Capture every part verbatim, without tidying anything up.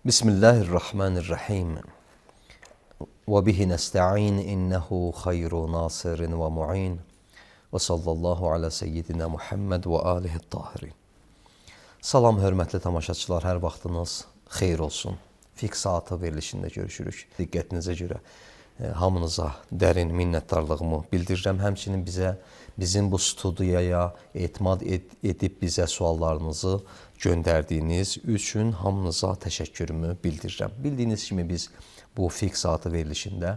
Bismillahirrahmanirrahim. Və bihi nəstə'in innəhu xeyru nasirin və mu'in. Və sallallahu alə seyyidina Muhammed və alihi tahirin. Salam, hörmətli tamaşaçılar, hər vaxtınız xeyir olsun. Fiqh saatı verilişində görüşürük. Diqqətinizə görə e, hamınıza dərin minnətdarlığımı bildirirəm. Həmçinin bizə, bizim bu studiyaya etimad ed edib bizə suallarınızı göndərdiyiniz üçün hamınıza təşəkkürümü bildirirəm. Bildiyiniz kimi biz bu fiqh saatı verilişində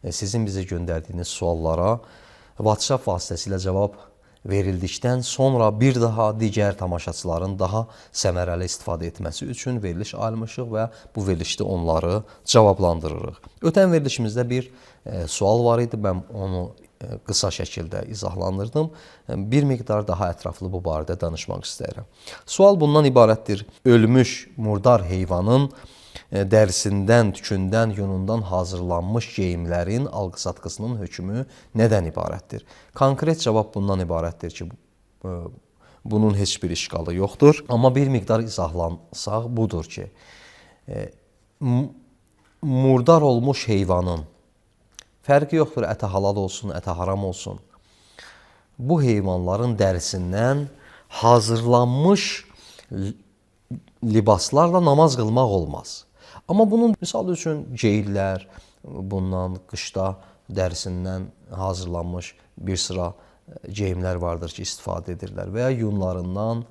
e, sizin bizə göndərdiyiniz suallara WhatsApp vasitəsilə cavab verildikdən sonra bir daha digər tamaşaçıların daha səmərəli istifadə etməsi üçün veriliş ayırmışıq və bu verilişdə onları cavablandırırıq. Ötən verilişimizdə bir e, sual var idi, mən onu e, qısa şəkildə izahlandırdım. E, bir miqdar daha ətraflı bu barədə danışmaq istəyirəm. Sual bundan ibarətdir: ölmüş murdar heyvanın dərisindən, tükündən, yunundan hazırlanmış geyimlərin alqı-satqısının hökmü nədən ibarətdir? Konkret cavab bundan ibarətdir ki, bunun heç bir işqalı yoxdur. Amma bir miqdar izahlansaq budur ki, murdar olmuş heyvanın fərqi yoxdur, ətə halal olsun, ətə haram olsun. Bu heyvanların dərisindən hazırlanmış libaslarla namaz qılmaq olmaz. Amma bunun misal üçün geyirlər, bundan qışda dərisindən hazırlanmış bir sıra geyimlər vardır ki, istifadə edirlər və ya yunlarından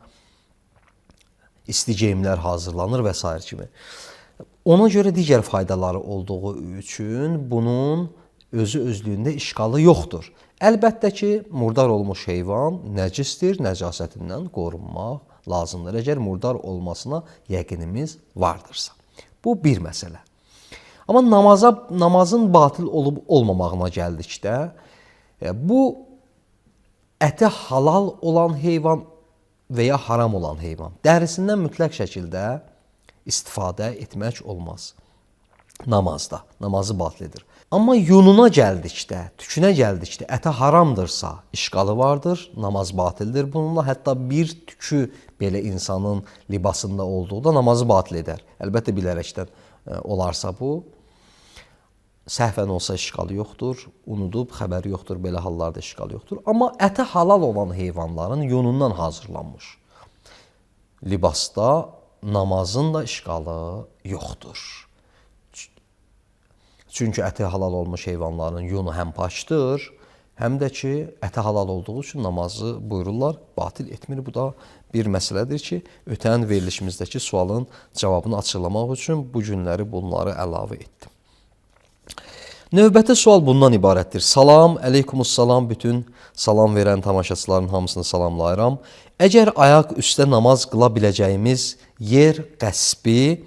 isti geyimlər hazırlanır və s. kimi. Ona görə digər faydaları olduğu üçün bunun özü özlüyündə işqalı yoxdur. Əlbəttə ki, murdar olmuş heyvan nəcisdir, nəcasətindən qorunmaq lazımdır, əgər murdar olmasına yəqinimiz vardırsa. Bu bir məsələ. Amma namaza, namazın batıl olub olmamağına gəldikdə, bu əti halal olan heyvan və ya haram olan heyvan dərisindən mütləq şəkildə istifadə etmək olmaz namazda. Namazı batıl edir. Amma yununa gəldikdə, tükünə gəldikdə əti haramdırsa, işqalı vardır, namaz batildir. Bununla hətta bir tükü belə insanın libasında olduğu namazı batil edər. Əlbəttə bilərəkdən olarsa bu, səhvən olsa işqalı yoxdur, unudub, xəbəri yoxdur, belə hallarda işqalı yoxdur. Amma əti halal olan heyvanların yunundan hazırlanmış libasda namazın da işqalı yoxdur. Çünki əti halal olmuş heyvanların yunu həm paçdır, həm də ki, əti halal olduğu üçün namazı buyururlar, batil etmir. Bu da bir məsələdir ki, ötən verilişimizdəki sualın cavabını açıqlamaq üçün bu günləri bunları əlavə etdim. Növbəti sual bundan ibarətdir. Salam, əleykumussalam, bütün salam verən tamaşaçıların hamısını salamlayıram. Əgər ayaq üstə namaz qıla biləcəyimiz yer qəsbi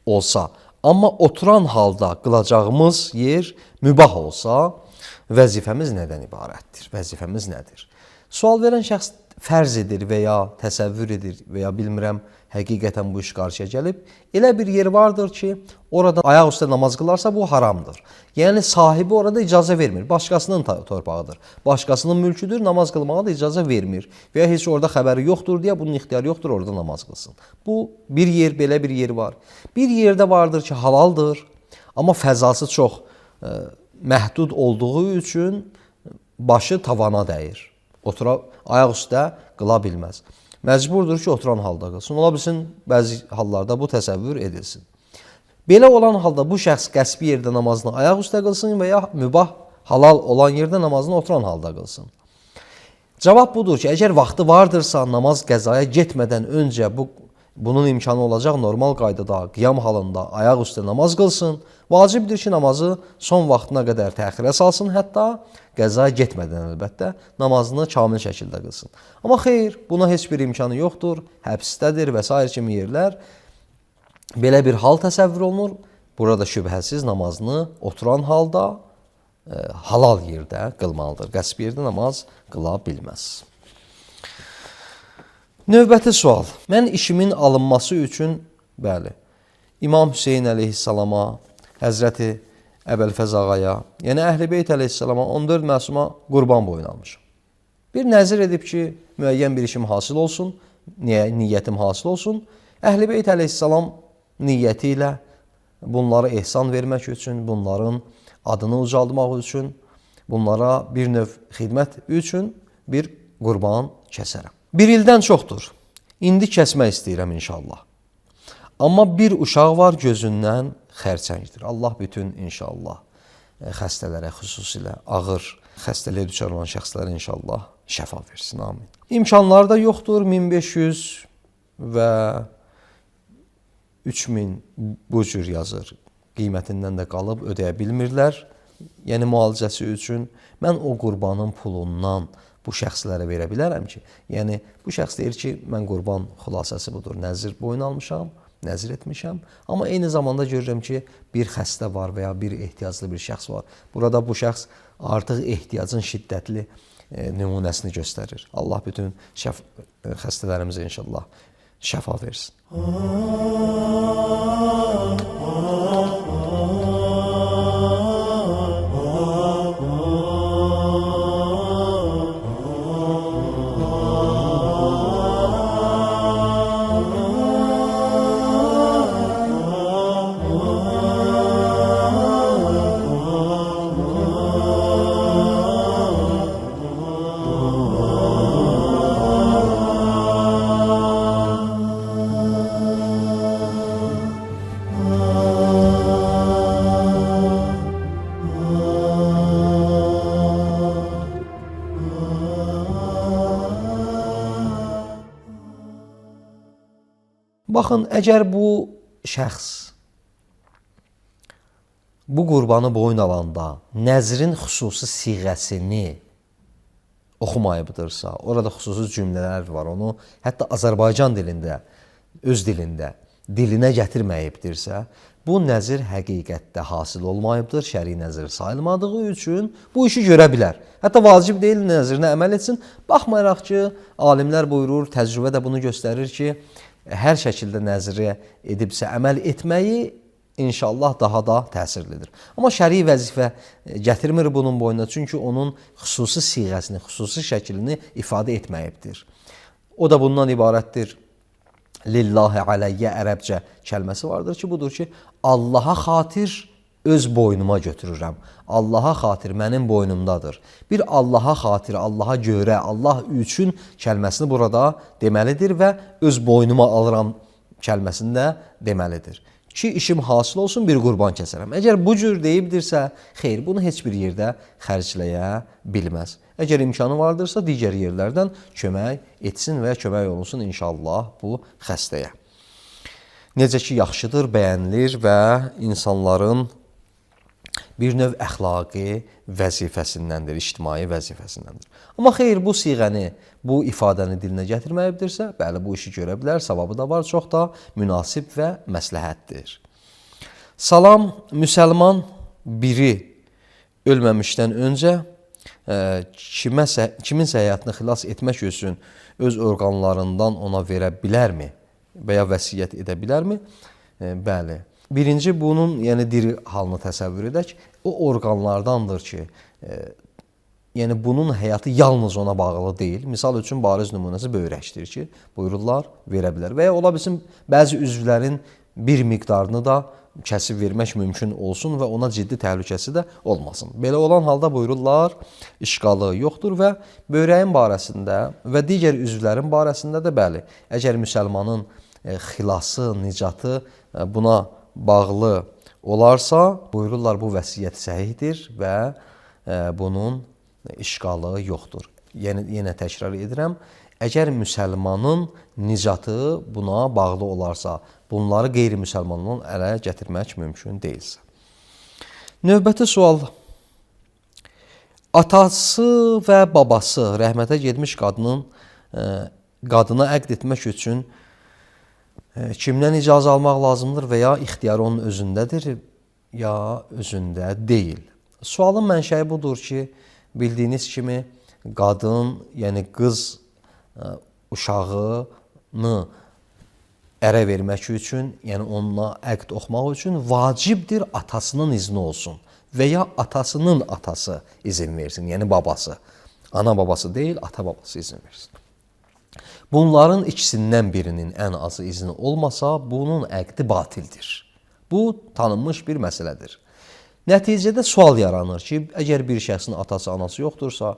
olsa, amma oturan halda qılacağımız yer mübah olsa, vəzifəmiz nədən ibarətdir? Vəzifəmiz nədir? Sual verən şəxs fərz edir və ya təsəvvür edir və ya bilmirəm, həqiqətən bu iş qarşıya gəlib. Elə bir yer vardır ki, orada ayaq üstə namaz qılarsa bu haramdır. Yəni sahibi orada icazə vermir. Başqasının torpağıdır. Başqasının mülküdür, namaz qılmağa da icazə vermir. Və ya heç orada xəbəri yoxdur deyə bunun ixtiyarı yoxdur, orada namaz qılsın. Bu bir yer, belə bir yer var. Bir yerdə vardır ki, halaldır, amma fəzası çox e, məhdud olduğu üçün başı tavana dəyir. Otura, ayaq üstə qıla bilməz. Məcburdur ki, oturan halda qılsın. Ola bilsin, bəzi hallarda bu təsəvvür edilsin. Belə olan halda bu şəxs qəsbi yerdə namazını ayaq üstə qılsın və ya mübah halal olan yerdə namazını oturan halda qılsın. Cavab budur ki, əgər vaxtı vardırsa, namaz qəzaya getmədən öncə bu, bunun imkanı olacaq normal qaydada, qiyam halında ayaq üstə namaz qılsın. Vacibdir ki, namazı son vaxtına qədər təxirə salsın, hətta qəzaya getmədən əlbəttə namazını kamil şəkildə qılsın. Amma xeyr, buna heç bir imkanı yoxdur, həbsdədir və s. kimi yerlər. Belə bir hal təsəvvür olunur. Burada şübhəsiz namazını oturan halda e, halal yerdə qılmalıdır. Qəsbi yerdə namaz qıla bilməz. Növbəti sual. Mən işimin alınması üçün, bəli, İmam Hüseyin əleyhissalama, Həzrəti Əbəlfəz ağaya, yəni Əhl-i Beyt əleyhissalama on dörd məsuma qurban boyun almışım. Bir nəzir edib ki, müəyyən bir işim hasıl olsun, niyyətim hasıl olsun. Əhl-i Beyt əleyhissalam niyyəti ilə bunlara ehsan vermək üçün, bunların adını ucaldmaq üçün, bunlara bir növ xidmət üçün bir qurban kəsərəm. Bir ildən çoxdur. İndi kəsmək istəyirəm inşallah. Amma bir uşaq var gözündən xərçəngdir. Allah bütün inşallah xəstələrə, xüsusilə ağır xəstəliyə düçar olan şəxslərə inşallah şəfa versin. Amin. İmkanları da yoxdur. min beş yüz və üç min bu cür yazır. Qiymətindən də qalıb ödəyə bilmirlər. Yəni müalicəsi üçün mən o qurbanın pulundan bu şəxslərə verə bilərəm ki, yəni bu şəxs deyir ki, mən qurban xülasəsi budur, nəzir boyun almışam, nəzir etmişəm, amma eyni zamanda görürəm ki, bir xəstə var və ya bir ehtiyaclı bir şəxs var. Burada bu şəxs artıq ehtiyacın şiddətli e, nümunəsini göstərir. Allah bütün şəf xəstələrimizə inşallah şəfa versin. Baxın, əgər bu şəxs bu qurbanı boyun alanda nəzrin xüsusi siğəsini oxumayıbdırsa, orada xüsusi cümlələr var, onu hətta Azərbaycan dilində, öz dilində dilinə gətirməyibdirsə, bu nəzir həqiqətdə hasil olmayıbdır, şəri nəzir sayılmadığı üçün bu işi görə bilər. Hətta vacib deyil nəzirinə əməl etsin. Baxmayaraq ki, alimlər buyurur, təcrübə də bunu göstərir ki, hər şəkildə nəzirə edibsə əməl etməyi inşallah daha da təsirlidir. Amma şəri vəzifə gətirmir bunun boyuna, çünki onun xüsusi siğəsini, xüsusi şəklini ifadə etməyibdir. O da bundan ibarətdir. Lillahi aleyyə ərəbcə kəlməsi vardır ki, budur ki, Allaha xatir öz boynuma götürürəm. Allaha xatir mənim boynumdadır. Bir Allaha xatir, Allaha görə, Allah üçün kəlməsini burada deməlidir və öz boynuma alıram kəlməsini də deməlidir. Ki, işim hasıl olsun, bir qurban kəsərəm. Əgər bu cür deyibdirsə, xeyr, bunu heç bir yerdə xərcləyə bilməz. Əgər imkanı vardırsa, digər yerlərdən kömək etsin və ya kömək olunsun inşallah bu xəstəyə. Necə ki, yaxşıdır, bəyənilir və insanların bir növ əxlaqi vəzifəsindəndir, ictimai vəzifəsindəndir. Amma xeyr, bu siğəni, bu ifadəni dilinə gətirməyibdirsə, bəli, bu işi görə bilər, savabı da var, çox da münasib və məsləhətdir. Salam, müsəlman biri ölməmişdən öncə kiməsə, kiminsə həyatını xilas etmək üçün öz orqanlarından ona verə bilərmi və ya vəsiyyət edə bilərmi? Bəli. Birinci, bunun yəni diri halını təsəvvür edək. O orqanlardandır ki, e, yəni bunun həyatı yalnız ona bağlı deyil. Misal üçün, bariz nümunəsi böyrəkdir ki, buyururlar, verə bilər. Və ya ola bilsin, bəzi üzvlərin bir miqdarını da kəsib vermək mümkün olsun və ona ciddi təhlükəsi də olmasın. Belə olan halda buyururlar, işqalı yoxdur və böyrəyin barəsində və digər üzvlərin barəsində də bəli, əgər müsəlmanın e, xilası, nicatı e, buna bağlı olarsa, buyururlar, bu vəsiyyət səhihdir və e, bunun işqalı yoxdur. Yəni, yenə təkrar edirəm, əgər müsəlmanın nicatı buna bağlı olarsa, bunları qeyri-müsəlmandan ələ gətirmək mümkün deyilsə. Növbəti sual. Atası və babası rəhmətə getmiş qadının e, qadına əqd etmək üçün kimdən icazə almaq lazımdır və ya ixtiyarı onun özündədir, ya özündə deyil. Sualın mənşəyi budur ki, bildiyiniz kimi qadın, yəni qız uşağını ərə vermək üçün, yəni onunla əqd oxumaq üçün vacibdir atasının izni olsun və ya atasının atası izin versin, yəni babası. Ana babası deyil, ata babası izin versin. Bunların ikisindən birinin ən azı izni olmasa, bunun əqdi batildir. Bu, tanınmış bir məsələdir. Nəticədə sual yaranır ki, əgər bir şəxsin atası, anası yoxdursa,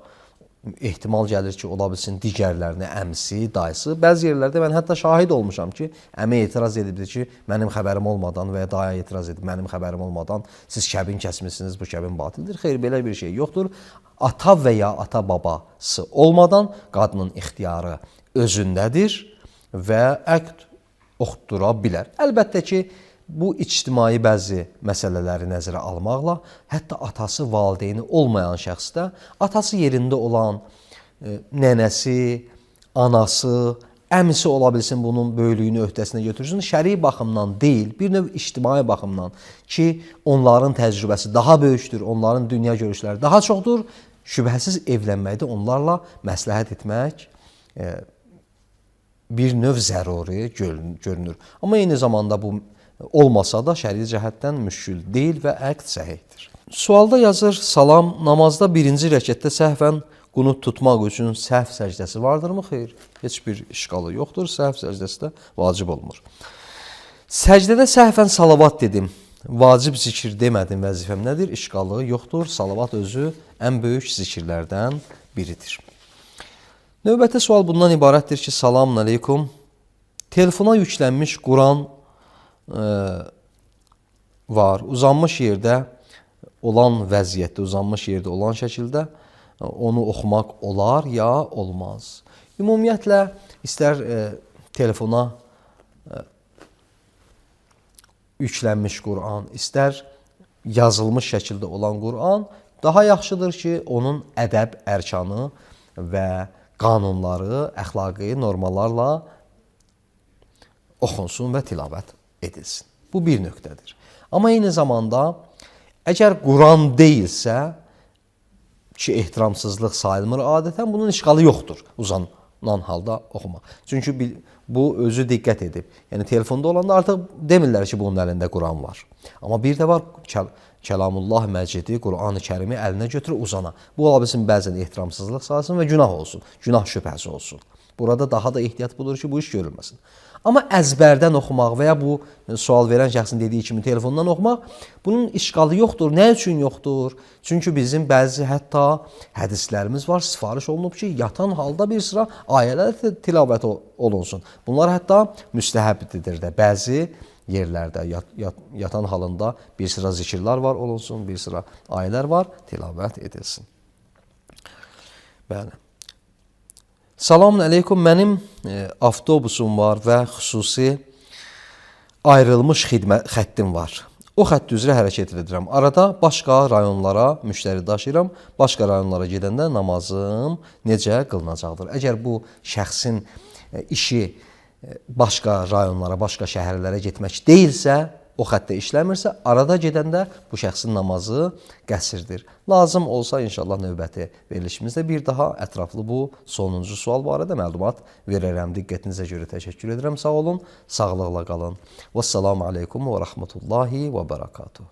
ehtimal gəlir ki, ola bilsin digərlərinə əmsi, dayısı. Bəzi yerlərdə mən hətta şahid olmuşam ki, əmi etiraz edibdir ki, mənim xəbərim olmadan və ya daya etiraz edib, mənim xəbərim olmadan siz kəbin kəsmişsiniz, bu kəbin batildir. Xeyr, belə bir şey yoxdur. Ata və ya ata babası olmadan qadının ixtiyarı özündədir və əqd oxutdura bilər. Əlbəttə ki, bu ictimai bəzi məsələləri nəzərə almaqla, hətta atası, valideyni olmayan şəxsdə, atası yerində olan e, nənəsi, anası, əmisi ola bilsin bunun böyüklüyünü öhdəsinə götürsün. Şəri baxımdan deyil, bir növ ictimai baxımdan ki, onların təcrübəsi daha böyükdür, onların dünya görüşləri daha çoxdur, şübhəsiz evlənməkdə onlarla məsləhət etmək e, bir növ zəruri görünür. Amma eyni zamanda bu olmasa da şəri cəhətdən müşkül deyil və əqd səhihdir. Sualda yazır, salam, namazda birinci rəkətdə səhvən qunut tutmaq üçün səhv səcdəsi vardırmı? Xeyr, heç bir işqalı yoxdur, səhv səcdəsi də vacib olmur. Səcdədə səhvən salavat dedim, vacib zikir demədim, vəzifəm nədir? İşqalı yoxdur, salavat özü ən böyük zikirlərdən biridir. Növbəti sual bundan ibarətdir ki, salamun aleykum, telefona yüklənmiş Quran var. Uzanmış yerdə olan vəziyyətdə, uzanmış yerdə olan şəkildə onu oxumaq olar ya olmaz. Ümumiyyətlə, istər e, telefona e, yüklənmiş Quran, istər yazılmış şəkildə olan Quran daha yaxşıdır ki, onun ədəb, ərkanı və qanunları, əxlaqi normalarla oxunsun və tilavət edilsin. Bu bir nöqtədir. Amma eyni zamanda, əgər Quran deyilsə, ki, ehtiramsızlıq sayılmır adətən, bunun işqalı yoxdur uzanan halda oxumaq. Çünki bu özü diqqət edib. Yəni, telefonda olanda artıq demirlər ki, bunun əlində Quran var. Amma bir də var, Kəlamullah Məcidi, Quran-ı Kərimi əlinə götürür uzana. Bu ola bilsin, bəzən ehtiramsızlıq sayılsın və günah olsun, günah şübhəsi olsun. Burada daha da ehtiyat budur ki, bu iş görülməsin. Amma əzbərdən oxumaq və ya bu sual verən şəxsin dediyi kimi telefondan oxumaq, bunun işqalı yoxdur. Nə üçün yoxdur? Çünki bizim bəzi hətta hədislərimiz var, sifariş olunub ki, yatan halda bir sıra ayələr tilavət olunsun. Bunlar hətta müstəhəbdir də. Bəzi yerlərdə yat, yat, yatan halında bir sıra zikirlər var olunsun, bir sıra ayələr var, tilavət edilsin. Bəli. Salamun aleykum, mənim e, avtobusum var və xüsusi ayrılmış xidmət xəttim var. O xətt üzrə hərəkət edirəm. Arada başqa rayonlara müştəri daşıyıram. Başqa rayonlara gedəndə namazım necə qılınacaqdır? Əgər bu şəxsin e, işi e, başqa rayonlara, başqa şəhərlərə getmək deyilsə, o xəttə işləmirsə, arada gedəndə bu şəxsin namazı qəsrdir. Lazım olsa inşallah növbəti verilişimizdə bir daha ətraflı bu sonuncu sual barədə məlumat verərəm. Diqqətinizə görə təşəkkür edirəm. Sağ olun, sağlıqla qalın. Vəssalamu aleykum və rəhmətullahi və bərəkatuhu.